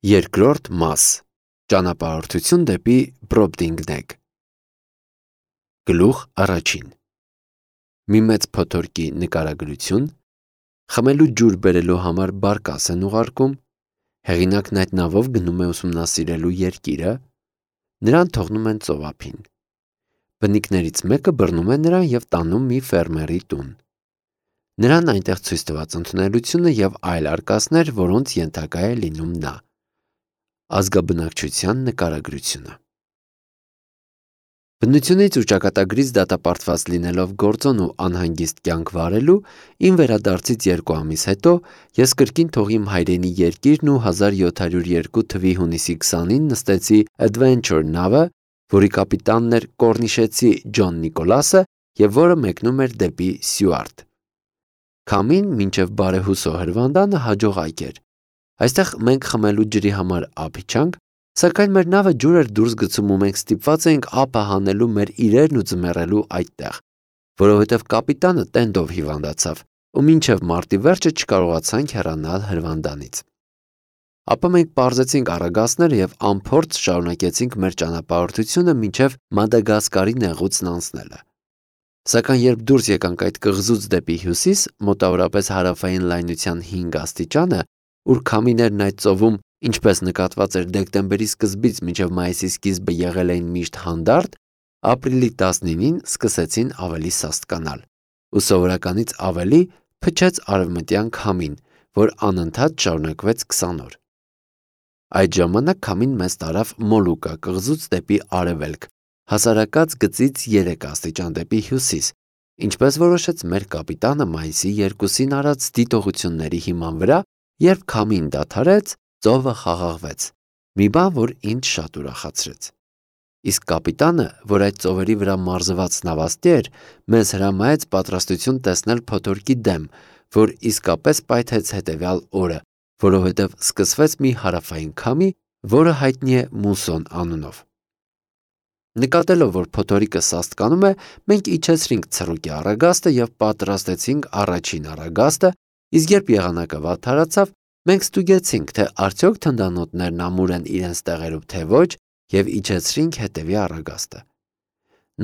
Երկրորդ մաս. Ճանապարհորդություն դեպի Բրոբդինգնեգ։ Գլուխ առաջին. Մի մեծ փոթորկի նկարագրություն, խմելու ջուր բերելու համար բարկաս են ուղարկում, հեղինակն այդ նավով գնում է ուսումնասիրելու երկիրը, նրան թողնում են ծովափին։ Բնիկներից մեկը բռնում է նրան և տանում մի ֆերմերի տուն։ Նրան այնտեղ ցույց տված ընդունելությունը և այլ արկածներ, որոնց ենթակա է լինում նա։ Ազգաբնակչության նկարագրությունը։ Բնությունից ու ճակատագրից դատապարտված լինելով գործոն ու անհանգիստ կյանք վարելու, իմ վերադարձից 2 ամիս հետո ես կրկին թող իմ հայրենի երկիրն ու 1702 թվականի հունիսի 20-ին նստեցի Adventure նավը, որի կապիտանն էր կորնիշեցի Ջոն Նիկոլասը և որը մեկնում էր դեպի Սյուարտ։ Քամին մինչև բարեհուսո հրվանդանը հաջողակ էր։ Այստեղ մենք խմելու ջրի համար ափ իջանք, սակայն մեր նավը ջուր էր դուրս գցում ու մենք ստիպված էինք ափը հանելու մեր իրերն ու ձմեռելու այդտեղ, որովհետև կապիտանը տենդով հիվանդացավ ու մինչև մարտի վերջը չկարողացանք հեռանալ հրվանդանից։ Ապա մենք պարզեցինք առագաստները և անփորձ շարունակեցինք մեր ճանապարհորդությունը մինչև Մադագասկարի նեղուցն անցնելը։ Սակայն երբ դուրս եկանք այդ կղզուց դեպի հյուսիս, մոտավորապես հարավային լայնության 5 աստիճանը, ուր քամիներն այդ ծովում, ինչպես նկատված էր դեկտեմբերի սկզբից մինչև մայիսի սկիզբը եղել էին միշտ հանդարտ, ապրիլի 19-ին սկսեցին ավելի սաստկանալ, ու սովորականից ավելի փչեց արևմտյան քամին, որ անընդհատ շարունակվեց 20 օր։ Այդ ժամանակ քամին մեզ տարավ Մոլուկա կղզուց դեպի արևելք, հասարակած գծից 3 աստիճան դեպի հյուսիս, ինչպես որոշեց մեր կապիտանը մայիսի 2-ին արած դիտողությունների հիման վրա, երբ քամին դադարեց, ծովը խաղաղվեց, մի բան, որ ինձ շատ ուրախացրեց։ Իսկ կապիտանը, որ այդ ծովերի վրա մարզված նավաստի էր, մեզ հրամայեց պատրաստություն տեսնել փոթորկի դեմ, որ իսկապես պայթեց հետևյալ օրը, որովհետև սկսվեց մի հարավային քամի, որը հայտնի է մուսոն անունով։ Նկատելով, որ փոթորիկը սաստկանում է, մենք իջեցրինք ցռուկի առագաստը և պատրաստեցինք առաջին առագաստը, իսկ երբ եղանակը վատթարացավ, մենք ստուգեցինք, թե արդյոք թնդանոթներն ամուր են իրենց տեղերում, թե ոչ, և իջեցրինք հետևի առագաստը։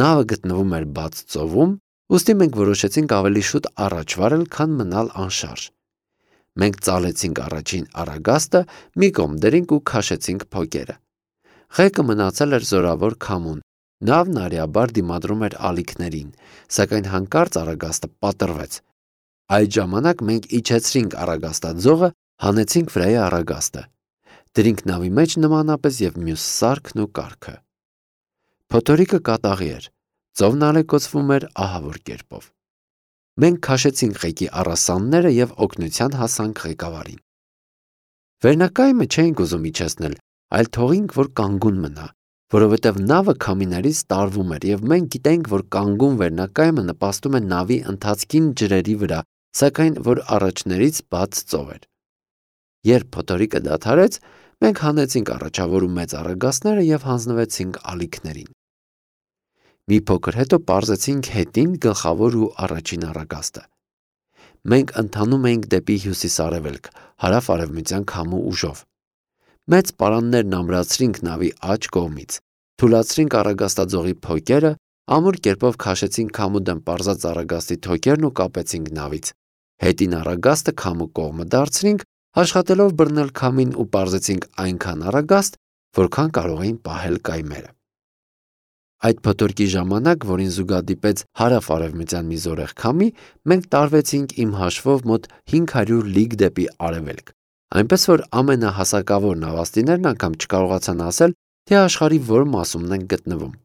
Նավը գտնվում էր բաց ծովում, ուստի մենք որոշեցինք ավելի շուտ առաջ վարել, քան մնալ անշարժ։ Մենք ծալեցինք առաջին առագաստը, մի կողմ դրինք ու քաշեցինք փոկերը։ Ղեկը մնացել էր զորավոր քամուն, նավն արիաբար դիմադրում էր ալիքներին, սակայն հանկարծ առագաստը պատռվեց։ Այդ ժամանակ մենք իջեցրինք առագաստաձողը, հանեցինք վրայի առագաստը, դրինք նավի մեջ նմանապես և մյուս սարքն ու կառքը։ Փոթորիկը կատաղի էր, ծովն ալեկոծվում էր ահավոր կերպով։ Մենք քաշեցինք ղեկի առասանները և օգնության հասանք ղեկավարին։ Վերնակայմը չէինք ուզում իջեցնել, այլ թողինք, որ կանգուն մնա, որովհետև նավը քամիներից տարվում էր և մենք գիտենք, որ կանգուն վերնակայմը նպաստում է նավի ընթացքին ջրերի վրա, սակայն որ առաջներից բաց ծով էր։ Երբ փոթորիկը դադարեց, մենք հանեցինք առաջավոր ու մեծ առագաստները և հանձնվեցինք ալիքներին։ Մի փոքր հետո պարզեցինք հետին գլխավոր ու առաջին առագաստը։ Մենք ընթանում էինք դեպի հյուսիս-արևելք, հարավ-արևմտյան քամու ուժով։ Մեծ պարաններն ամրացրինք նավի աջ կողմից, թուլացրինք առագաստաձողի փոկերը, ամուր կերպով քաշեցինք քամու դեմ պարզած առագաստի թոքերն ու կապեցինք նավից։ Հետին առագաստը քամու կողմը դարձրինք, աշխատելով բռնել քամին ու պարզեցինք այնքան առագաստ, որքան կարող էին պահել կայմերը։ Այդ փոթորկի ժամանակ, որին զուգադիպեց հարավ-արևմտյան մի զորեղ քամի, մենք տարվեցինք իմ հաշվով մոտ 500 լիգ դեպի արևելք, այնպես որ ամենահասակավոր նավաստիներն անգամ չկարողացան ասել, թե աշխարհի որ մասումն են գտնվում։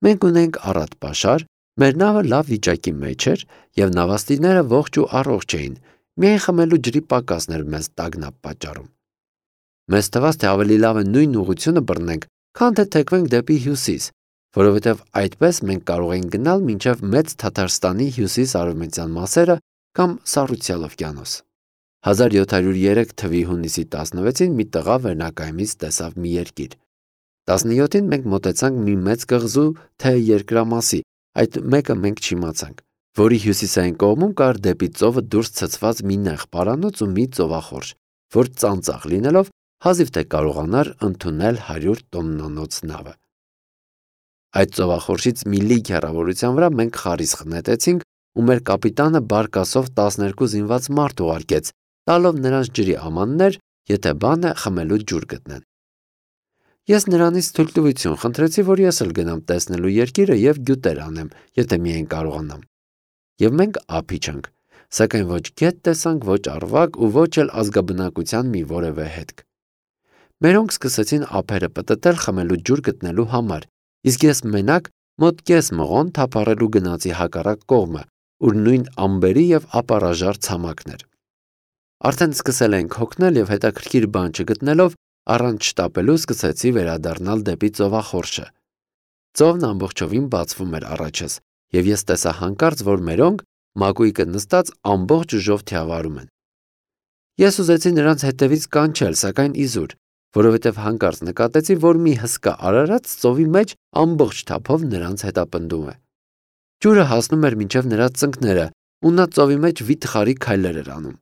Մենք ունենք առատ պաշար, մեր նավը լավ վիճակի մեջ էր և նավաստիները ողջ ու առողջ էին, միայն խմելու ջրի պակասն էր մեզ տագնապ պատճառում։ Մեզ թվաց, թե ավելի լավ է նույն ուղղությունը բռնենք, քան թե թեքվենք դեպի հյուսիս, որովհետև այդպես մենք կարող էինք գնալ մինչև Մեծ Թաթարստանի հյուսիս-արևմտյան մասերը կամ Սառուցյալ օվկիանոս։ 1703 թվականի հունիսի 16-ին մի տղա վերնակայմից տեսավ մի երկիր։ 17-ին մենք մոտեցանք մի մեծ կղզու, թե երկրամասի, այդ մեկը մենք չիմացանք, որի հյուսիսային կողմում կար դեպի ծովը դուրս ցցված մի նեղ պարանոց ու մի ծովախորշ, որ ծանծաղ լինելով հազիվ թե կարողանար ընդունել 100 տոննանոց նավը։ Այդ ծովախորշից մի լիք հեռավորության վրա մենք խարիսխ նետեցինք ու մեր կապիտանը բարկասով 12 զինված մարդ ուղարկեց, տալով նրանց ջրի ամաններ, եթե բան է խմելու ջուր գտնեն։ Ես նրանից թույլտվություն խնդրեցի, որ ես էլ գնամ տեսնելու երկիրը եւ գյուտեր անեմ, եթե միայն կարողանամ։ Եվ մենք ափ իջանք, սակայն ոչ գետ տեսանք, ոչ արվակ ու ոչ էլ ազգաբնակության մի որևէ հետք։ Մերոնք սկսեցին ափերը պտտել խմելու ջուր գտնելու համար, իսկ ես մենակ մոտ կես մղոն թափառելու գնացի հակառակ կողմը, ուր նույն ամբերի եւ ապարաժար ցամաքներ։ Արդեն սկսել ենք հոգնել եւ հետաքրքիր բան չգտնելով առանց շտապելու սկսեցի վերադառնալ դեպի ծովախորշը։ Ծովն ամբողջովին բացվում էր առաջս, եւ ես տեսա հանկարծ, որ մերոնք մակույկը նստած ամբողջ ուժով թիավարում են։ Ես ուզեցի նրանց հետևից կանչել, սակայն իզուր, որովհետև հանկարծ նկատեցի, որ մի հսկա արարած ծովի մեջ ամբողջ թափով նրանց հետապնդում է։ Ջուրը հասնում էր մինչև նրա ծնկները, ու նա ծովի մեջ վիթխարի քայլեր էր անում։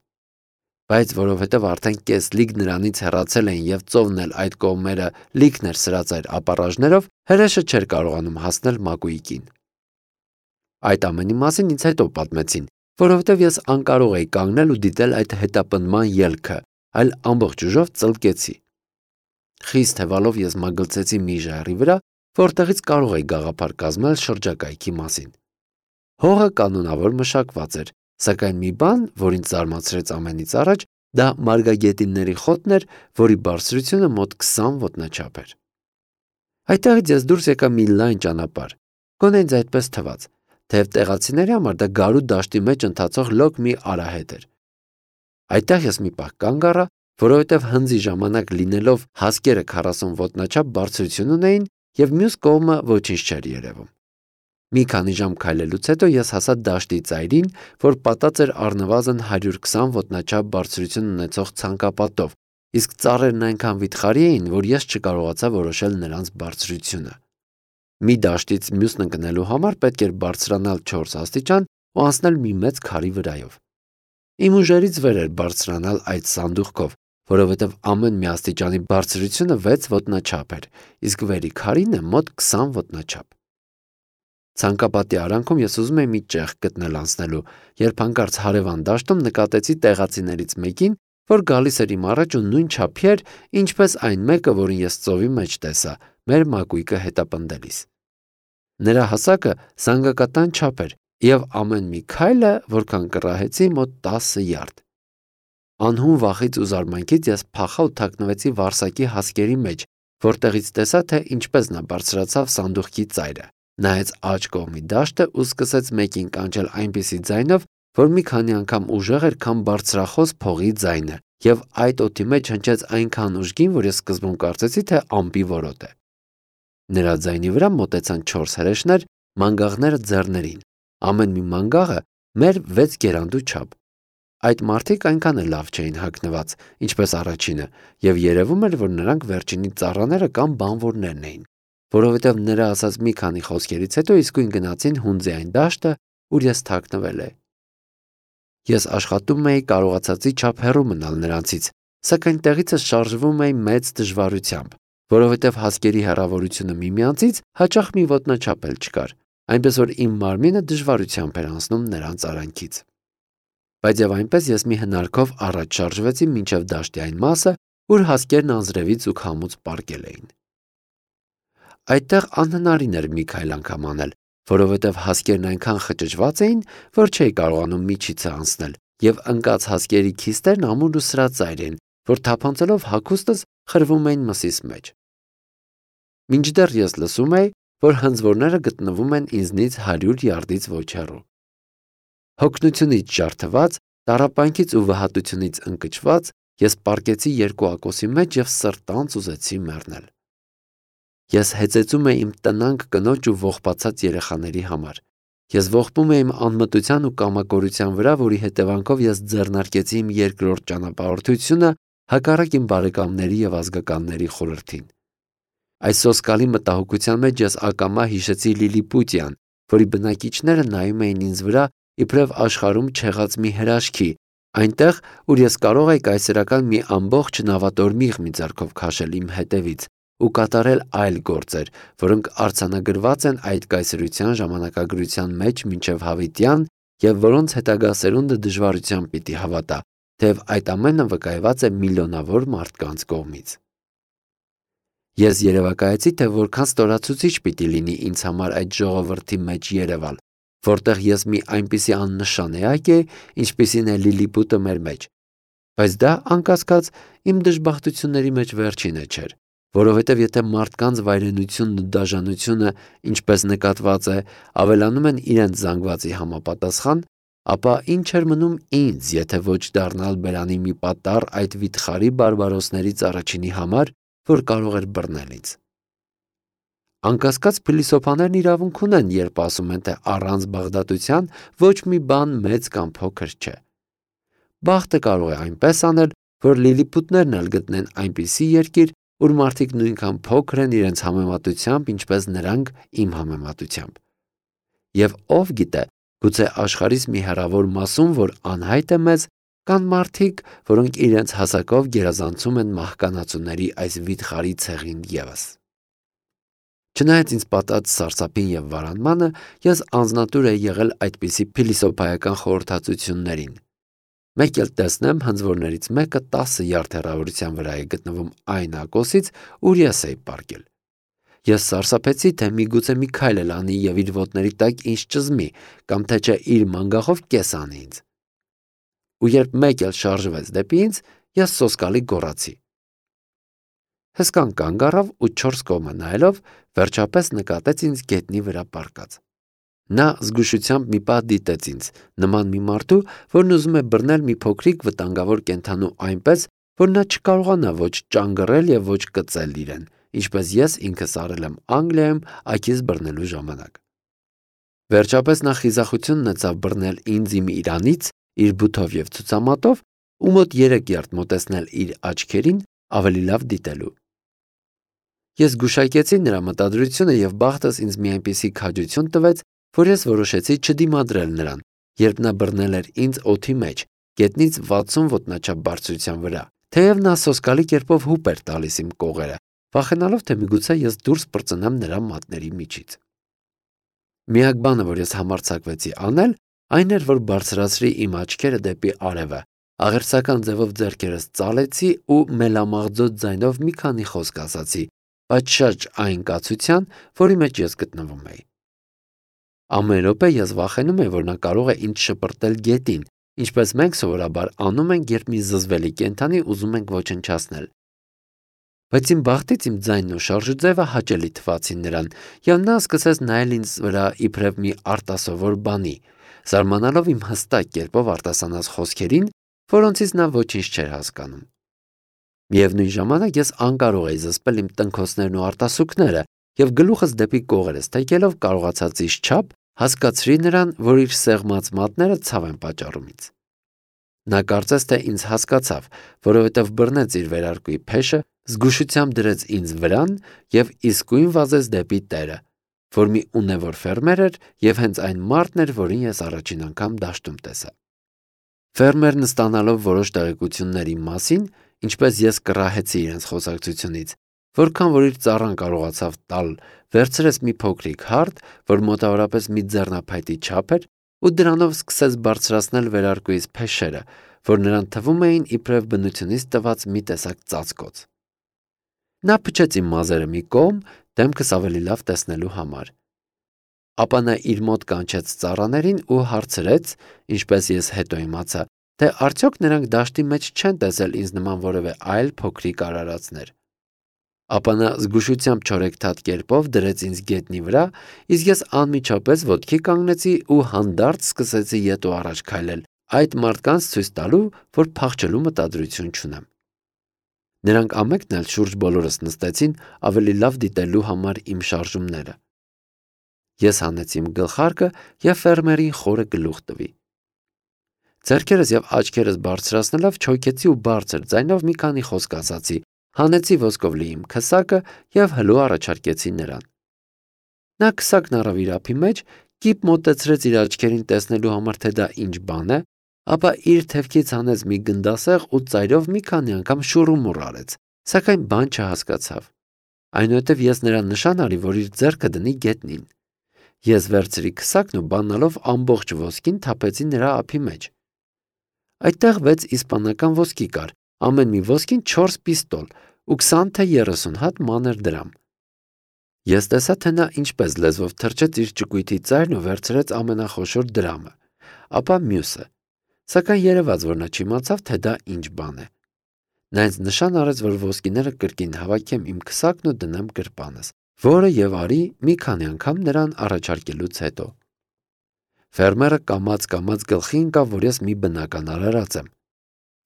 Բայց որովհետև արդեն կես լիք նրանից հեռացել էին եւ ծովն էլ այդ կողմերը լիքն էր սրած այդ ապարաժներով, հրեշը չէր կարողանում հասնել մակույկին։ Այդ ամենի մասին ինձ հետո պատմեցին, որովհետև ես անկարող էի կանգնել ու դիտել այդ հետապնդման ելքը, այլ ամբողջ ուժով ծլկեցի։ Խիստ թևալով ես մագլցեցի մի ժայռի վրա, որտեղից կարող էի գաղափար կազմել շրջակայքի մասին։ Հողը կանոնավոր մշակված էր, սակայն մի բան, որ ինձ զարմացրեց ամենից առաջ, դա մարգագետինների խոտն էր, որի բարձրությունը մոտ 20 ոտնաչափ էր։ Այդտեղից ես դուրս եկա մի լայն ճանապարհ, գոնե ինձ այդպես թվաց, թեև տեղացիների համար դա գարու դաշտի մեջ ընթացող լոկ մի արահետ էր։ Այդտեղ ես մի պահ կանգ առա, որովհետև հնձի ժամանակ լինելով հասկերը 40 ոտնաչափ բարձրություն ունեին եւ մյուս կողմը ոչինչ չէր երևում։ Մի քանի ժամ քայլելուց հետո ես հասա դաշտի ծայրին, որ պատած էր առնվազն 120 ոտնաչափ բարձրություն ունեցող ցանկապատով, իսկ ծառերն այնքան վիթխարի էին, որ ես չկարողացա որոշել նրանց բարձրությունը։ Մի դաշտից մյուսն ընկնելու համար պետք էր բարձրանալ 4 աստիճան ու անցնել մի մեծ քարի վրայով։ Իմ ուժերից վեր էր բարձրանալ այդ սանդուղքով, որովհետև ամեն մի աստիճանի բարձրությունը 6 ոտնաչափ էր, իսկ վերի քարինը մոտ 20 ոտնաչափ։ Ցանկապատի արանքում ես ուզում էի մի ճեղք գտնել անցնելու, երբ հանկարծ հարևան դաշտում նկատեցի տեղացիներից մեկին, որ գալիս էր իմ առաջ ու նույն չափի էր, ինչպես այն մեկը, որին ես ծովի մեջ տեսա, մեր մակույկը հետապնդելիս։ Նրա հասակը զանգակատան չափ էր, եւ ամեն մի քայլը, որքան կռահեցի, մոտ 10 յարդ։ Անհուն վախից ու զարմանքից ես փախա ու թաքնվեցի վարսակի հասկերի մեջ, որտեղից տեսա, թե ինչպես նա բարձրացավ սանդուղքի ծայրը, նայեց աջ կողմի դաշտը ու սկսեց մեկին կանչել այնպիսի ձայնով, որ մի քանի անգամ ուժեղ էր, քան բարձրախոս փողի ձայնը, եւ այդ օդի մեջ հնչեց այնքան ուժգին, որ ես սկզբում կարծեցի, թե ամպի որոտ է։ Նրա ձայնի վրա մոտեցան 4 հրեշներ, մանգաղները ձեռներին։ Ամեն մի մանգաղը մեր 6 գերանդու չափ։ Այդ մարդիկ այնքան էլ լավ չէին հագնված, ինչպես առաջինը, եւ երևում էր, որ նրանք վերջինի ծառաները կամ բանվորներն էին, որովհետև նրա ասած մի քանի խոսքերից հետո իսկույն գնացին հունձի այն դաշտը, ուր ես թաքնվել էի։ Ես աշխատում էի կարողացածի չափ հեռու մնալ նրանցից, սակայն տեղիցս շարժվում էի մեծ դժվարությամբ, որովհետև հասկերի հեռավորությունը միմյանցից հաճախ մի ոտնաչափ էլ չկար, այնպես որ իմ մարմինը դժվարությամբ էր անցնում նրանց արանքից։ Բայց եւ այնպես ես մի հնարքով առաջ շարժվեցի մինչև դաշտի այն մասը, ուր հասկերն անձրևից ու քամուց պառկել էին։ Այդտեղ անհնարին էր մի քայլ անգամ անել, որովհետև հասկերն այնքան խճճված էին, որ չէի կարողանում միջիցը անցնել, եւ ընկած հասկերի քիստերն ամուր ու սրածայր էին, որ թափանցելով հագուստս խրվում էին մսիս մեջ։ Մինչդեռ ես լսում էի, որ հնձվորները գտնվում են ինձնից 100 յարդից ոչ հեռու։ Հոգնությունից ջարդված, տառապանքից ու վհատությունից ընկճված, ես պառկեցի երկու ակոսի մեջ եւ սրտանց ուզեցի մեռնել։ Ես հեծեծում էի իմ տնանկ կնոջ ու ողբացած երեխաների համար։ Ես ողբում էի իմ անմտության ու կամակորության վրա, որի հետևանքով ես ձեռնարկեցի իմ երկրորդ ճանապարհորդությունը հակառակ իմ բարեկամների եւ ազգականների խորհրդին։ Այս սոսկալի մտահոգության մեջ ես ակամա հիշեցի Լիլիպուտյան, որի բնակիչները նայում էին ինձ վրա իբրև աշխարհում չեղած մի հրաշքի, Այնտեղ, ուր ես կարող էի կայսերական մի ամբողջ նավատորմիղ մի ձեռքով քաշել իմ հետևից ու կատարել այլ գործեր, որոնք արձանագրված են այդ կայսրության ժամանակագրության մեջ մինչև հավիտյան և որոնց հետագա սերունդը դժվարությամբ պիտի հավատա, թեև այդ ամենը վկայված է միլիոնավոր մարդկանց կողմից։ Ես երևակայեցի, թե որքան ստորացուցիչ պիտի լինի ինձ համար այդ ժողովրդի մեջ երևալ, որտեղ ես մի այնպիսի աննշան էակ էի, ինչպիսին է Լիլիպուտը մեր մեջ, բայց դա, անկասկած, իմ դժբախտությունների մեջ վերջինը չէր, որովհետև եթե մարդկանց վայրենությունն ու դաժանությունը, ինչպես նկատված է, ավելանում են իրենց զանգվածի համապատասխան, ապա ինչ էր մնում ինձ, եթե ոչ դառնալ բերանի մի պատառ այդ վիթխարի բարբարոսներից առաջինի համար, որ կարող էր բռնել ինձ։ Անկասկած փիլիսոփաներն իրավունք ունեն, երբ ասում են, թե առանց բաղդատության ոչ մի բան մեծ կամ փոքր չէ։ Բախտը կարող է այնպես անել, որ լիլիպուտներն էլ գտնեն այնպիսի երկիր, ուր մարդիկ նույնքան փոքր են իրենց համեմատությամբ, ինչպես նրանք իմ համեմատությամբ։ Եվ ով գիտե, գուցե աշխարհիս մի հեռավոր մասում, որ անհայտ է մեզ, կան մարդիկ, որոնք իրենց հասակով գերազանցում են մահկանացուների այս վիթխարի ցեղին ևս։ Չնայած ինձ պատած սարսափին և վարանմանը, ես անձնատուր էի եղել այդպիսի փիլիսոփայական խորհրդածություններին։ Մեկ էլ տեսնեմ, հնձվորներից մեկը 10 յարդ հեռավորության վրա է գտնվում այն ակոսից, ուր ես էի պառկել։ Ես սարսափեցի, թե միգուցե մի քայլ էլ անի և իր ոտների տակ ինձ ճզմի, կամ թե չէ իր մանգաղով կես անի ինձ։ Ու երբ մեկ էլ շարժվեց դեպի ինձ, ես սոսկալի գոռացի։ Հսկան կանգ առավ ու 4 կողմը նայելով, վերջապես նկատեց ինձ գետնի վրա պառկած։ Նա զգուշությամբ մի պահ դիտեց ինձ, նման մի մարդու, որն ուզում է բռնել մի փոքրիկ վտանգավոր կենդանու այնպես, որ նա չկարողանա ոչ ճանգռել և ոչ կծել իրեն, ինչպես ես ինքս արել եմ Անգլիայում աքիս բռնելու ժամանակ։ Վերջապես նա խիզախություն ունեցավ բռնել ինձ իմ իրանից, իր բութով և ցուցամատով, ու մոտ 3 յարդ մոտեցնել իր աչքերին, ավելի լավ դիտելու։ Ես գուշակեցի նրա մտադրությունը և բախտս ինձ մի այնպիսի քաջություն տվեց, որ ես որոշեցի չդիմադրել նրան, երբ նա բռնել էր ինձ օդի մեջ, գետնից 60 ոտնաչափ բարձրության վրա, թեև նա սոսկալի կերպով հուպ էր տալիս իմ կողերը, վախենալով, թե միգուցե ես դուրս պրծնեմ նրա մատների միջից։ Միակ բանը, որ ես համարձակվեցի անել, այն էր, որ բարձրացրի իմ աչքերը դեպի արևը, աղերսական ձևով ձեռքերս ծալեցի ու մելամաղձոտ ձայնով մի քանի խոսք ասացի, պատշաճ այն կացության, որի մեջ ես գտնվում էի։ Ամեն րոպե ես վախենում էի, որ նա կարող է ինձ շպրտել գետին, ինչպես մենք սովորաբար անում ենք, երբ մի զզվելի կենդանի ուզում ենք ոչնչացնել։ Բայց իմ բախտից իմ ձայնն ու շարժուձևը հաճելի թվացին նրան, և նա սկսեց նայել ինձ վրա իբրև մի արտասովոր բանի, զարմանալով իմ հստակ կերպով արտասանած խոսքերին, որոնցից նա ոչինչ չէր հասկանում։ Միևնույն ժամանակ ես անկարող էի զսպել իմ տնքոցներն ու արտասուքները և գլուխս դեպի կողերս թեքելով կարողացած չափ հասկացրի նրան, որ իր սեղմած մատները ցավ են պատճառում ինձ։ Նա կարծես թե ինձ հասկացավ, որովհետև բռնեց իր վերարկուի փեշը, զգուշությամբ դրեց ինձ վրան և իսկույն վազեց դեպի տերը, որ մի ունևոր ֆերմեր էր և հենց այն մարդն էր, որին ես առաջին անգամ դաշտում տեսա։ Ֆերմերն ստանալով որոշ տեղեկություններ իմ մասին, ինչպես ես կռահեցի իրենց խոսակցությունից, որքան որ իր ծառան կարողացավ տալ, վերցրեց մի փոքրիկ հարթ, որ մոտավորապես մի ձեռնափայտի չափ էր, ու դրանով սկսեց բարձրացնել վերարկուիս փեշերը, որ նրան թվում էին իբրև բնությունից տված մի տեսակ ծածկոց։ Նա փչեց իմ մազերը մի կողմ, դեմքս ավելի լավ տեսնելու համար։ Ապա նա իր մոտ կանչեց ծառաներին ու հարցրեց, ինչպես ես հետո իմացա, թե արդյոք նրանք դաշտի մեջ չեն տեսել ինձ նման որևէ այլ փոքրիկ արարածներ։ Ապա նա զգուշությամբ չորեքթաթ կերպով դրեց ինձ գետնի վրա, իսկ ես անմիջապես ոտքի կանգնեցի ու հանդարտ սկսեցի ետ ու առաջ քայլել, այդ մարդկանց ցույց տալու, որ փախչելու մտադրություն չունեմ։ Նրանք ամենքն էլ շուրջ բոլորս նստեցին ավելի լավ դիտելու համար իմ շարժումները։ Ես հանեցի իմ գլխարկը և ֆերմերին խորը գլուխ տվի։ Ձեռքերս և աչքերս բարձրացնելով չոքեցի ու բարձր ձայնով մի քանի խոսք ասացի, հանեցի ոսկով լի իմ քսակը և հլու առաջարկեցի նրան։ Նա քսակն առավ իր ափի մեջ, կիպ մոտեցրեց իր աչքերին տեսնելու համար, թե դա ինչ բան է, Ապա իր թևքից հանեց մի գնդասեղ ու ծայրով մի քանի անգամ շուռումուռ արեց, սակայն բան չհասկացավ։ Այնուհետև ես նրան նշան արի, որ իր ձեռքը դնի գետնին։ Ես վերցրի քսակն ու բանալով ամբողջ ոսկին թափեցի նրա ափի մեջ։ Այդտեղ 6 իսպանական ոսկի կար, ամեն մի ոսկին 4 պիստոլ ու 20 թե 30 հատ մանր դրամ։ Ես տեսա, թե նա ինչպես լեզվով թրջեց իր ճկույթի ծայրն ու վերցրեց ամենախոշոր դրամը, ապա մյուսը, սակայն երևաց, որ նա չիմացավ, թե դա ինչ բան է։ Նա ինձ նշան արեց, որ ոսկիները կրկին հավաքեմ իմ քսակն ու դնեմ գրպանս, որը եւ արի մի քանի անգամ նրան առաջարկելուց հետո։ Ֆերմերը կամաց գլխի ընկավ, որ ես մի բնական արարած եմ։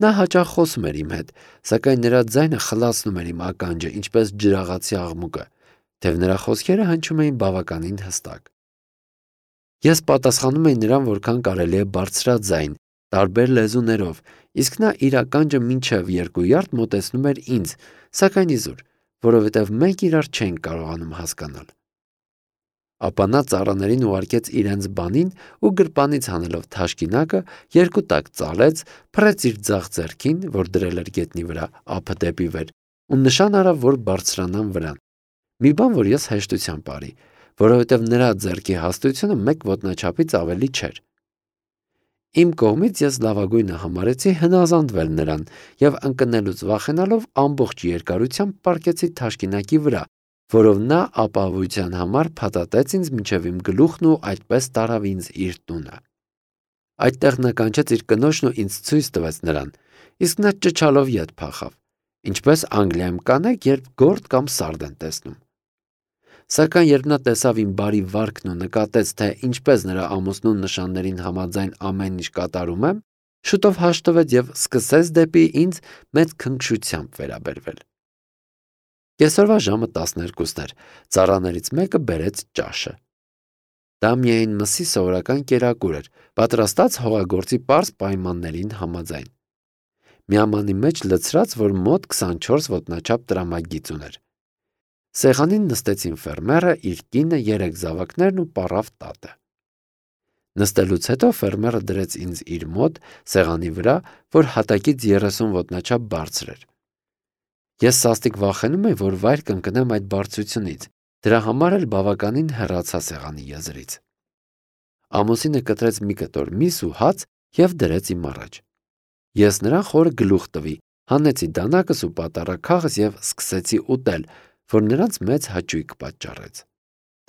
Նա հաճախ խոսում էր իմ հետ, սակայն նրա ձայնը խլացնում էր իմ ականջը, ինչպես ջրաղացի աղմուկը, թեև նրա խոսքերը հնչում էին բավականին հստակ։ Ես պատասխանում էի նրան, որքան կարելի է բարձրաձայն, տարբեր լեզուներով, իսկ նա իր ականջը մինչև 2 յարդ մոտեցնում էր ինձ, սակայն իզուր, որովհետև մենք իրար չենք կարողանում հասկանալ։ Ապա նա ծառաներին ուղարկեց իրենց բանին ու գրպանից հանելով թաշկինակը 2 տակ ծալեց, փռեց իր ձախ ձեռքին, որ դրել էր գետնի վրա, ափը դեպի վեր, ու նշան արավ, որ բարձրանան վրան։ Մի բան, որ ես հեշտությամբ արի, որովհետև նրա ձեռքի հաստությունը 1 ոտնաչափից ավելի չէր։ Իմ կողմից ես լավագույնը համարեցի հնազանդվել նրան եւ ընկնելուց վախենալով ամբողջ երկարությամբ պառկեցի թաշկինակի վրա, որով նա ապահովության համար փաթաթեց ինձ մինչև իմ գլուխն ու այդպես տարավ ինձ իր տունը։ Այդտեղ նա կանչեց իր կնոջն ու ինձ ցույց տվեց նրան, իսկ նա ճչալով ետ փախավ, ինչպես Անգլիայում կանայք, երբ գործ կամ սարդ են տեսնում։ Սակայն երբ նա տեսավ իմ բարի վարքն ու նկատեց, թե ինչպես նրա ամուսնու նշաններին համաձայն ամեն ինչ կատարում եմ, շուտով հաշտվեց եւ սկսեց դեպի ինձ մեծ քնքշությամբ վերաբերվել։ Կեսօրվա ժամը 12-ն էր, ծառաներից մեկը բերեց ճաշը։ Դա միայն մսի սովորական կերակուր էր, պատրաստած հողագործի պարզ պայմաններին համաձայն։ Միամանի մեջ լցրած, որ մոտ 24 ոտնաչափ տրամագիծ ուներ։ Սեղանին նստեցին ֆերմերը, իր կինը, 3 զավակներն ու պառավ տատը։ Նստելուց հետո ֆերմերը դրեց ինձ իր մոտ սեղանի վրա, որ հատակից 30 ոտնաչափ բարձր էր։ Ես սաստիկ վախենում էի, որ վայր կընկնեմ այդ բարձրությունից, դրա համար էլ բավականին հեռացա սեղանի եզրից։ Ամուսինը կտրեց մի կտոր միս ու հաց եւ դրեց իմ առաջ։ Ես նրան խորը գլուխ տվի, հանեցի դանակս ու պատառաքաղս եւ սկսեցի ուտել, որ նրանց մեծ հաճույք պատճառեց։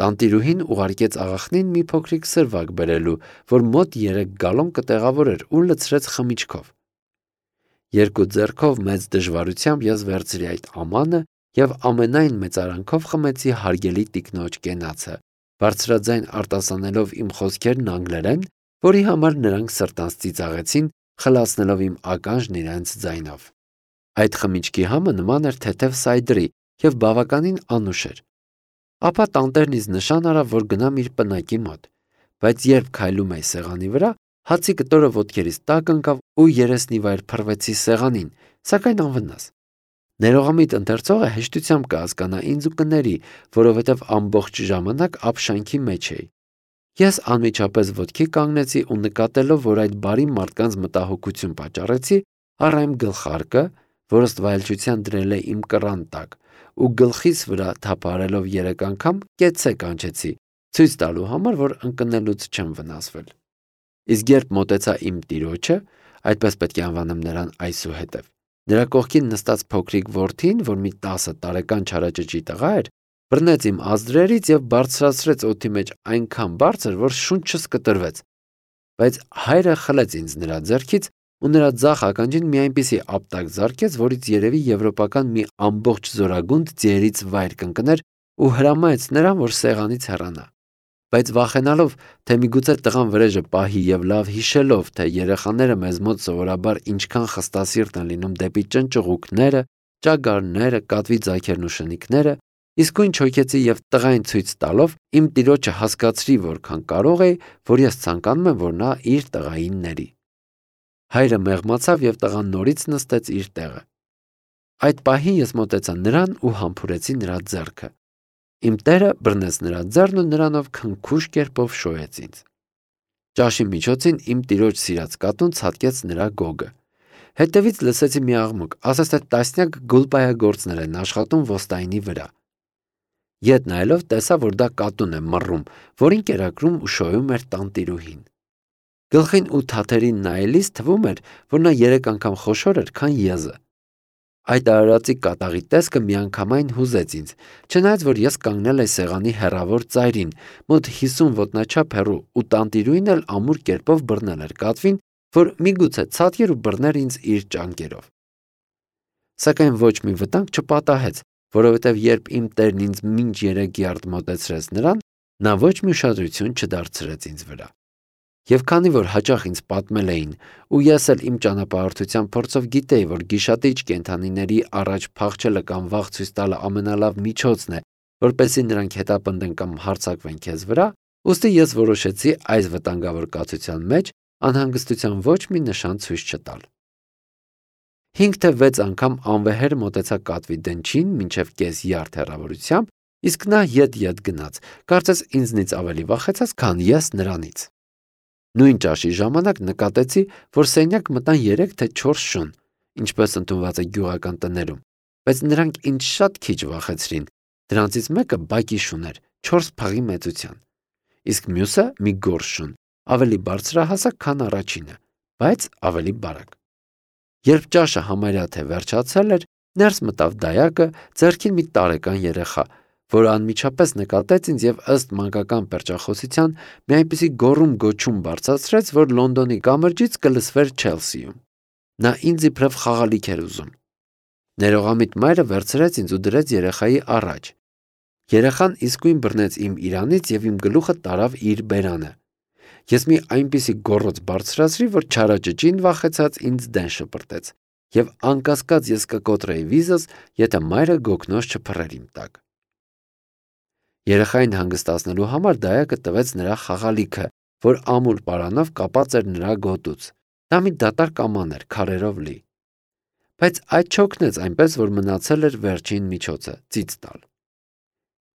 Տանտիրուհին ուղարկեց աղախնին մի փոքրիկ սրվակ բերելու, որ մոտ 3 գալոն կտեղավորեր ու լցրեց խմիչքով։ 2 ձեռքով մեծ դժվարությամբ ես վերցրի այդ ամանը եւ ամենայն մեծարանքով խմեցի հարգելի տիկնոջ կենացը, բարձրաձայն արտասանելով իմ խոսքերն անգլերեն, որի համար նրանք սրտանց ծիծաղեցին, խլացնելով իմ ականջն իրենց ձայնով։ Այդ խմիչքի համը նման էր թեթև սայդրի եւ բավականին անուշ էր։ Ապա տանտերն ինձ նշան արավ, որ գնամ իր պնակի մոտ, բայց երբ քայլում էի սեղանի վրա, հացի կտորը ոտքերից տակ ընկավ ու երեսնիվայր փռվեցի սեղանին, սակայն անվնաս։ Ներողամիտ ընթերցողը հեշտությամբ կհասկանա ինձ ու կների, որովհետև ամբողջ ժամանակ ապշանքի մեջ էի։ Ես անմիջապես ոտքի կանգնեցի ու նկատելով, որ այդ բարի մարդկանց մտահոգություն պատճառեցի, առա իմ գլխարկը, որը ստվայելչության դրել է իմ կռան տակ, ու գլխիս վրա թափարելով 3 անգամ կեցցե կանչեցի, ցույց տալու համար, որ ընկնելուց չեմ վնասվել։ Իսկ երբ մոտեցա իմ տիրոջը, այդպես պետք է անվանեմ նրան այսուհետև, նրա կողքին նստած փոքրիկ որդին, որ մի 10 տարեկան չարաճճի տղա էր, բռնեց իմ ազդրերից եւ բարձրացրեց օդի մեջ այնքան բարձր, որ շունչս կտրվեց, բայց հայրը խլեց ինձ նրա ձեռքից ու նրա ձախ ականջին մի այնպիսի ապտակ զարկեց, որից երևի եվրոպական մի ամբողջ զորագունդ ձիերից վայր կընկներ ու հրամայեց նրան, որ սեղանից հեռանա։ Բայց վախենալով, թե միգուցե տղան վրեժը պահի եւ լավ հիշելով, թե երեխաները մեզ մոտ սովորաբար ինչքան խստասիրտ են լինում դեպի ճնճղուկները, ճագարները, կատվի ձագերն ու շնիկները, իսկույն չոքեցի եւ տղային ցույց տալով իմ տիրոջը հասկացրի, որքան կարող էի, որ ես ցանկանում եմ, որ նա իր տղային ների։ Հայրը մեղմացավ եւ տղան նորից նստեց իր տեղը։ Այդ պահին ես մոտեցա նրան ու համբուրեցի նրա ձեռքը։ Իմ տերը բռնեց նրա ձեռն ու նրանով քնքուշ կերպով շոյեց ինձ։ Ճաշի միջոցին իմ տիրոջ սիրած կատուն ցատկեց նրա գոգը։ Հետևից լսեցի մի աղմուկ, ասես թե տասնյակ գուլպայագործներ են աշխատում ոստայինի վրա։ Ետ նայելով տեսա, որ դա կատուն է մռռում, որին կերակրում ու շոյում էր տանտիրուհին։ Գլխին ու թաթերին նայելիս թվում էր, որ նա 3 անգամ խոշոր էր, քան եզը։ Այդ արարածի կատաղի տեսքը միանգամայն հուզեց ինձ, չնայած որ ես կանգնել էի սեղանի հեռավոր ծայրին, մոտ 50 ոտնաչափ հեռու, ու տանտիրուհին էլ ամուր կերպով բռնել էր կատվին, որ միգուցե ցատկեր ու բռներ ինձ իր ճանկերով։ Սակայն ոչ մի վտանգ չպատահեց, որովհետև երբ իմ տերն ինձ մինչ 3 յարդ մոտեցրեց նրան, նա ոչ մի ուշադրություն չդարձրեց ինձ վրա։ Եվ քանի որ հաճախ ինձ պատմել էին, ու ես էլ իմ ճանապարհորդության փորձով գիտեի, որ գիշատիչ կենդանիների առաջ փախչելը կամ վախ ցույց տալը ամենալավ միջոցն է, որպեսզի նրանք հետապնդեն կամ հարձակվեն քեզ վրա, ուստի ես որոշեցի այս վտանգավոր կացության մեջ անհանգստության ոչ մի նշան ցույց չտալ։ 5 թե 6 անգամ անվեհեր մոտեցա կատվի դնչին մինչև կես յարդ հեռավորությամբ, իսկ նա ետ գնաց, կարծես ինձնից ավելի վախեցած, քան ես նրանից։ Նույն ճաշի ժամանակ նկատեցի, որ սենյակ մտան 3 թե 4 շուն, ինչպես ընդունված է գյուղական տներում, բայց նրանք ինձ շատ քիչ վախեցրին, դրանցից մեկը բակի շուն էր, 4 փաղի մեծության, իսկ մյուսը մի գորշ շուն, ավելի բարձրահասակ, քան առաջինը, բայց ավելի բարակ։ Երբ ճաշը համարյա թե վերջացել էր, ներս մտավ դայակը, ձեռքին մի տարեկան երեխա, որ անմիջապես նկատեց ինձ եւ ըստ մանկական պերճախոսության մի այնպիսի գոռում-գոչում բարձրացրեց, որ Լոնդոնի կամրջից կլսվեր Չելսիում։ Նա ինձ իբրև խաղալիք էր ուզում։ Ներողամիտ մայրը վերցրեց ինձ ու դրեց երեխայի առաջ։ Երեխան իսկույն բռնեց իմ իրանից եւ իմ գլուխը տարավ իր բերանը։ Ես մի այնպիսի գոռոց բարձրացրի, որ չարաճճին վախեցած ինձ դեն շպրտեց, եւ անկասկած ես կկոտրեի վիզս, եթե մայրը գոգնոց չփռեր իմ տակ։ Երեխային հանգստացնելու համար դայակը տվեց նրա խաղալիքը, որ ամուր պարանով կապած էր նրա գոտուց։ Դա մի դատարկ աման էր, քարերով լի։ Բայց այդ չօգնեց, այնպես որ մնացել էր վերջին միջոցը՝ ծիծ տալ։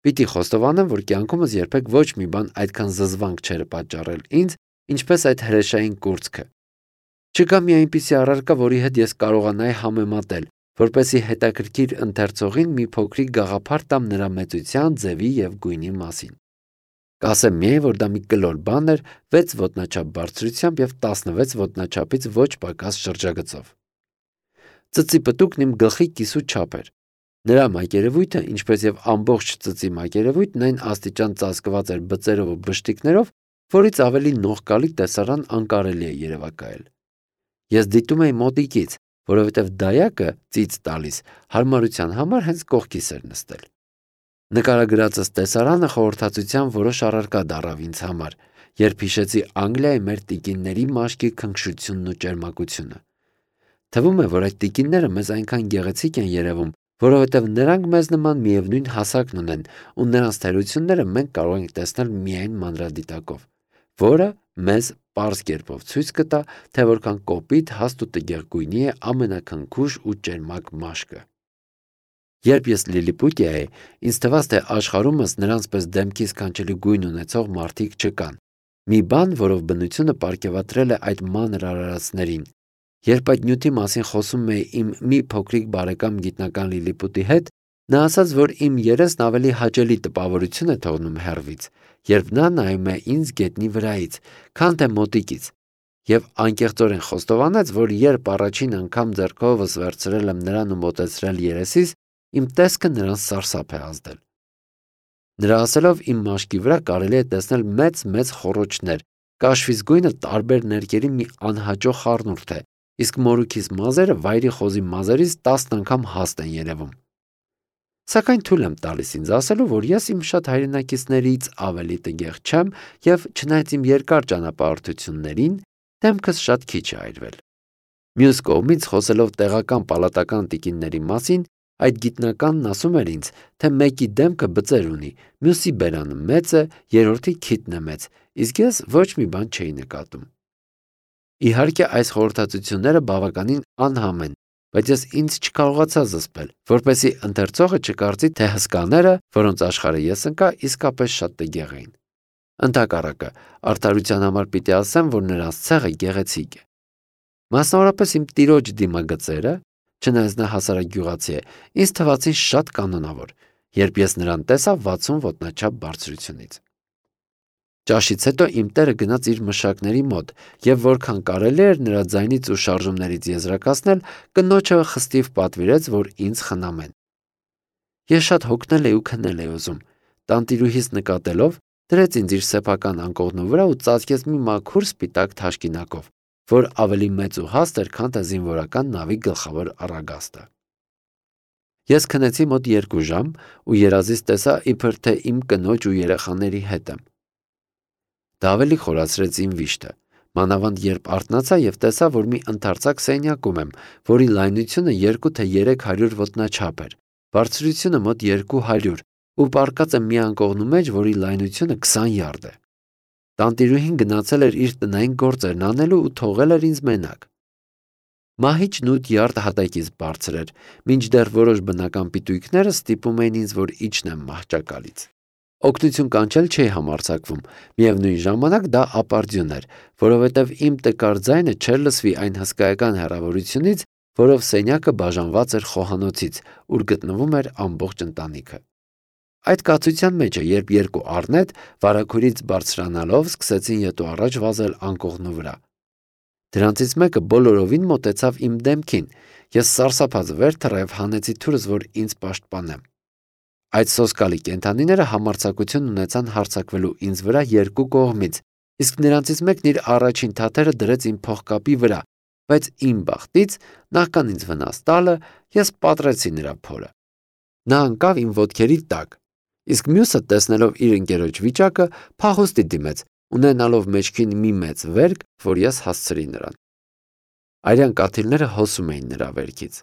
Պիտի խոստովանեմ, որ կյանքումս երբեք ոչ մի բան այդքան զզվանք չէր պատճառել ինձ, ինչպես այդ հրեշային կուրծքը։ Չկա մի այնպիսի առարկա, որի հետ ես կարողանայի համեմատել, որպեսզի հետաքրքիր ընթերցողին մի փոքրիկ գաղափար տամ նրա մեծության, ձևի եւ գույնի մասին։ Կասեմ միայն, որ դա մի կլոր բան էր 6 ոտնաչափ բարձրությամբ եւ 16 ոտնաչափից ոչ պակաս շրջագծով։ Ծծի պտուկն իմ գլխի կիսու չափ էր։ Նրա մակերևույթը, ինչպես եւ ամբողջ ծծի մակերևույթն այն աստիճան ծածկված էր բծերով ու բշտիկներով, որից ավելի նողկալի տեսարան անկարելի է երևակայել։ Ես դիտում էի մոտիկից, որովհետև դայակը ծիծ տալիս հարմարության համար հենց կողքիս էր նստել։ Նկարագրածս տեսարանը խորհրդածության որոշ առարկա դառավ ինձ համար, երբ հիշեցի Անգլիայի մեր տիկինների մաշկի քնքշությունն ու ճերմակությունը։ Թվում է, որ այդ տիկինները մեզ այնքան գեղեցիկ են երևում, որովհետև նրանք մեզ նման միևնույն հասակն ունեն, ու նրանց թերությունները մենք կարող ենք տեսնել միայն մանրադիտակով, որը մեզ պարզ կերպով ցույց կտա, թե որքան կոպիտ, հաստ ու տգեղ գույնի է ամենաքնքուշ ու ճերմակ մաշկը։ Երբ ես Լիլիպուտիա էի, ինձ թվաց, թե աշխարհումս նրանց պես դեմքի սքանչելի գույն ունեցող մարդիկ չկան։ Մի բան, որով բնությունը պարգևատրել է այդ մանր արարածներին։ Երբ այդ նյութի մասին խոսում էի իմ մի փոքրիկ բարեկամ գիտնական Լիլիպուտի հետ, նա ասաց, որ իմ երեսն ավելի հաճելի տպավորություն է թողնում հեռվից, երբ նա նայում է ինձ գետնի վրայից, քան թե մոտիկից, եւ անկեղծորեն խոստովանեց, որ երբ առաջին անգամ ձեռքովս վերցրել եմ նրան ու մոտեցրել երեսիս, իմ տեսքը նրան սարսափ է ազդել։ Նրա ասելով իմ մաշկի վրա կարելի է տեսնել մեծ խոռոչներ, կաշվից գույնը տարբեր ներկերի մի անհաճո խառնուրդ է, իսկ մորուքիս մազերը վայրի խոզի մազերից 10 անգամ հաստ են երևում։ Սակայն թույլ եմ տալիս ինձ ասելու, որ ես իմ շատ հայրենակիցներից ավելի տգեղ չեմ եւ չնայած իմ երկար ճանապարհորդություններին, դեմքս շատ քիչ է այրվել։ Մյուս կողմից խոսելով տեղական պալատական տիկինների մասին, այդ գիտնականն ասում էր ինձ, թե մեկի դեմքը բծեր ունի, մյուսի բերանը մեծ է, երրորդի քիթն է մեծ, իսկ ես ոչ մի բան չէի նկատում։ Իհարկե այս խորհրդածությունները բավականին անհամ են, բայց ես ինձ չկարողացա զսպել, որպեսզի ընթերցողը չկարծի, թե հսկաները, որոնց աշխարհը ես ընկա, իսկապես շատ տգեղ էին։ Ընդհակառակը, արդարության համար պիտի ասեմ, որ նրանց ցեղը գեղեցիկ է։ Մասնավորապես իմ տիրոջ դիմագծերը, չնայած նա հասարակ է, ինձ թվացին շատ կանոնավոր, երբ ես նրան տեսա 60 ոտնաչափ բարձրությունից։ Ճաշից հետո իմ տերը գնաց իր մշակների մոտ եւ որքան կարելի էր նրա ձայնից ու շարժումներից եզրակացնել, կնոջը խստիվ պատվիրեց, որ ինձ խնամեն։ Ես շատ հոգնել ու քնել էի ուզում։ Տանտիրուհիս նկատելով, դրեց ինձ իր սեփական անկողնու վրա ու ծածկեց մի մաքուր սպիտակ թաշկինակով, որ ավելի մեծ ու հաստ էր, քան թե զինվորական նավի գլխավոր առագաստը։ Ես քնեցի մոտ 2 ժամ ու երազից տեսա, իբր թե իմ կնոջ ու երեխաների հետ եմ։ Դա ավելի խորացրեց իմ վիշտը, մանավանդ երբ արթնացա եւ տեսա, որ մի ընդարձակ սենյակում եմ, որի լայնությունը 2 թե 300 ոտնաչափ էր, բարձրությունը մոտ 200 ու պառկած եմ մի անկողնու մեջ, որի լայնությունը 20 յարդ է։ Տանտիրուհին գնացել էր իր տնային գործերն անելու ու թողել էր ինձ մենակ։ Մահիճն 8 յարդ հատակից բարձր էր, մինչդեռ որոշ բնական պիտույքները ստիպում էին ինձ, որ իջնեմ մահճակալից։ Օգնություն կանչել չէի համարձակվում, միևնույն ժամանակ դա ապարդյուն էր, որովհետև իմ տկար ձայնը չէր լսվի այն հսկայական հեռավորությունից, որով սենյակը բաժանված էր խոհանոցից, ուր գտնվում էր ամբողջ ընտանիքը։ Այդ կացության մեջ է, երբ 2 առնետ վարագուրից բարձրանալով սկսեցին ետու առաջ վազել անկողնու վրա։ Դրանցից մեկը բոլորովին մոտեցավ իմ դեմքին, ես սարսափած վեր թռավ, հանեցի թուրս, որ ինձ պաշտպանեմ։ Այդ սոսկալի կենդանիները համարձակություն ունեցան հարձակվելու ինձ վրա 2 կողմից, իսկ նրանցից մեկն իր առաջին թաթերը դրեց իմ փողկապի վրա, բայց իմ բախտից, նախքան ինձ վնաս տալը, ես պատռեցի նրա փորը։ Նա ընկավ իմ ոտքերի տակ, իսկ մյուսը, տեսնելով իր ընկերոջ վիճակը, փախուստի դիմեց, ունենալով մեջքին մի մեծ վերք, որ ես հասցրի նրան։ Արյան կաթիլները հոսում էին նրա վերքից։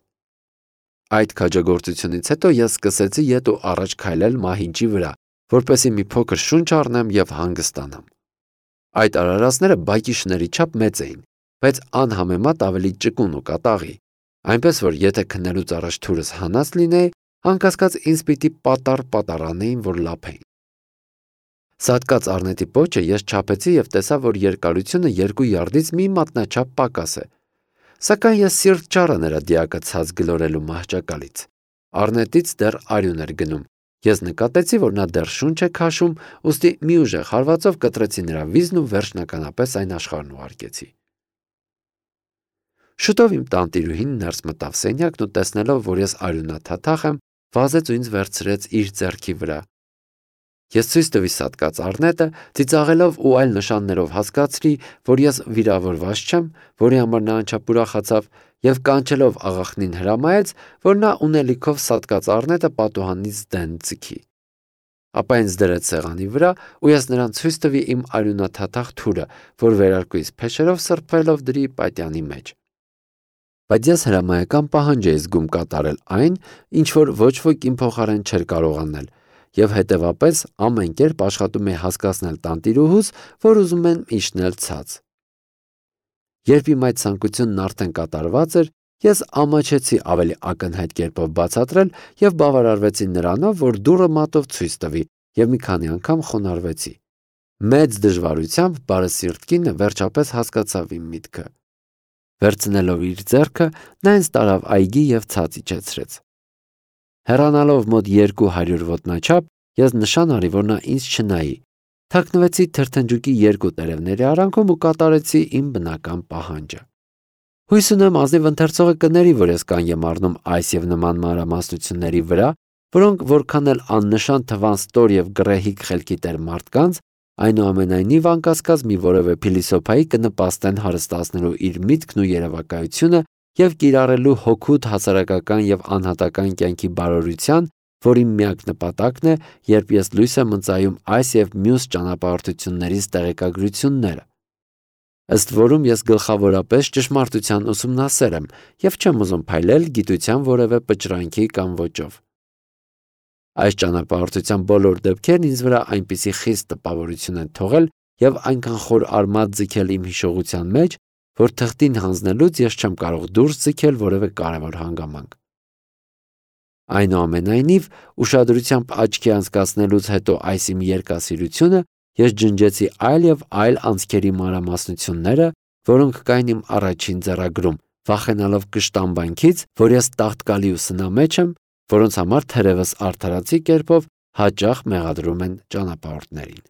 Այդ քաջագործությունից հետո ես սկսեցի ետ ու առաջ քայլել մահիճի վրա, որպեսզի մի փոքր շունչ առնեմ եւ հանգստանամ։ Այդ արարածները բայկիշների չափ մեծ էին, բայց անհամեմատ ավելի ճկուն ու կատաղի, այնպես որ եթե քնելուց առաջ թուրս հանած լինեի, անկասկած ինձ պիտի պատառանեին, որ լափեին։ Սատկած առնետի պոչը ես չափեցի եւ տեսա, որ երկարությունը 2 յարդից մի մատնաչափ պակաս է։ Սակայն ես սիրտ չառա նրա դիակը ցած գլորելու մահճակալից։ Առնետից դեռ արյուն էր գնում։ Ես նկատեցի, որ նա դեռ շունչ է քաշում, ուստի մի ուժեղ հարվածով կտրեցի նրա վիզն ու վերջնականապես այն աշխարհն ուղարկեցի։ Շուտով իմ տանտիրուհին ներս մտավ սենյակն ու տեսնելով, որ ես արյունաթաթախ եմ, վազեց ու ինձ վերցրեց իր ձեռքի վրա։ Ես ցույց տվի սատկած առնետը, ծիծաղելով ու այլ նշաններով հասկացրի, որ ես վիրավորված չեմ, որի համար նա անչափ ուրախացավ եւ կանչելով աղախնին հրամայեց, որ նա ունելիքով սատկած առնետը պատուհանից դեն ձգի։ Ապա ինձ դրեց սեղանի վրա ու ես նրան ցույց տվի իմ արյունաթաթախ թուրը, որ վերարկուից փեշերով սրբելով դրի պատյանի մեջ։ Բայց ես հրամայական պահանջ էի զգում կատարել այն, ինչ որ ոչ ոք իմ փոխարեն չէր կարող անել, եւ հետեւապես ամեն կերպ աշխատում էի հասկացնել տանտիրուհուս, որ ուզում եմ իջնել ցած։ Երբ իմ այդ ցանկությունն արդեն կատարված էր, ես ամաչեցի ավելի ակնհայտ կերպով բացատրել եւ բավարարվեցի նրանով, որ դուռը մատով ցույց տվի եւ մի քանի անգամ խոնարհվեցի։ Մեծ դժվարությամբ բարեսիրտ կինը վերջապես հասկացավ իմ միտքը։ Վերցնելով իր ձեռքը, նա ինձ տարավ այգի եւ ցած իջեցրեց։ Հեռանալով մոտ 200 ոտնաչափ, ես նշան արի, որ նա ինձ չնայի։ Թաքնվեցի թրթնջուկի 2 տերևների արանքում ու կատարեցի իմ բնական պահանջը։ Հույս ունեմ ազնիվ ընթերցողը կների, որ ես կանգ եմ առնում այս եւ նման մանրամասնությունների վրա, որոնք որքան էլ աննշան թվան ստոր եւ գռեհիկ խելքի տեր մարդկանց, այնուամենայնիվ անկասկած մի որևէ փիլիսոփայի կնպաստեն հարստացնելու իր միտքն ու երևակայությունը եւ կիրառելու հոգուտ հասարակական եւ անհատական կյանքի բարօրության, որի միակ նպատակն է, երբ ես լույս եմ ընծայում այս եւ մյուս ճանապարհորդություններից տեղեկագրությունները։ Ըստ որում ես գլխավորապես ճշմարտության ուսումնասեր եմ եւ չեմ ուզում փայլել գիտության որևէ պճրանքի կամ ոճով։ Այս ճանապարհորդության բոլոր դեպքերն ինձ վրա այնպիսի խիստ տպավորություն են թողել եւ այնքան խոր արմատ ձգել իմ հիշողության մեջ, որ թղթին հանձնելուց ես չեմ կարող դուրս ձգել որևէ կարևոր հանգամանք։ Այնուամենայնիվ, ուշադրությամբ աչքի անցկացնելուց հետո այս իմ երկասիրությունը Ես ջնջեցի այլ եւ այլ անցքերի մանրամասնությունները, որոնք կային իմ առաջին ձեռագրում, վախենալով կշտամբանքից, որ ես տաղտկալի ուսնա մեջ եմ, որոնց համար թերևս արդարացի կերպով հաճախ մեղադրում են ճանապարհորդներին։